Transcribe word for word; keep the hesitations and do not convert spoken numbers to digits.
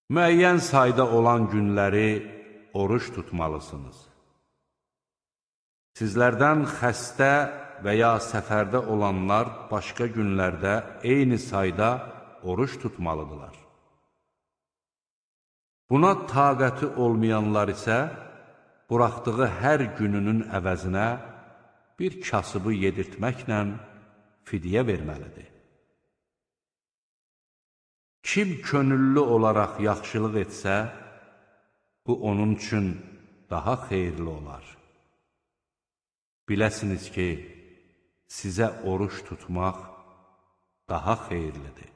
Müəyyən sayda olan günləri oruç tutmalısınız. Sizlərdən xəstə və ya səfərdə olanlar başqa günlərdə eyni sayda oruç tutmalıdırlar. Buna taqəti olmayanlar isə buraxdığı hər gününün əvəzinə bir kasıbı yedirtməklə fidyə verməlidir. Kim könüllü olaraq yaxşılıq etsə, bu onun üçün daha xeyirli olar. Biləsiniz ki, sizə oruç tutmaq daha xeyirlidir.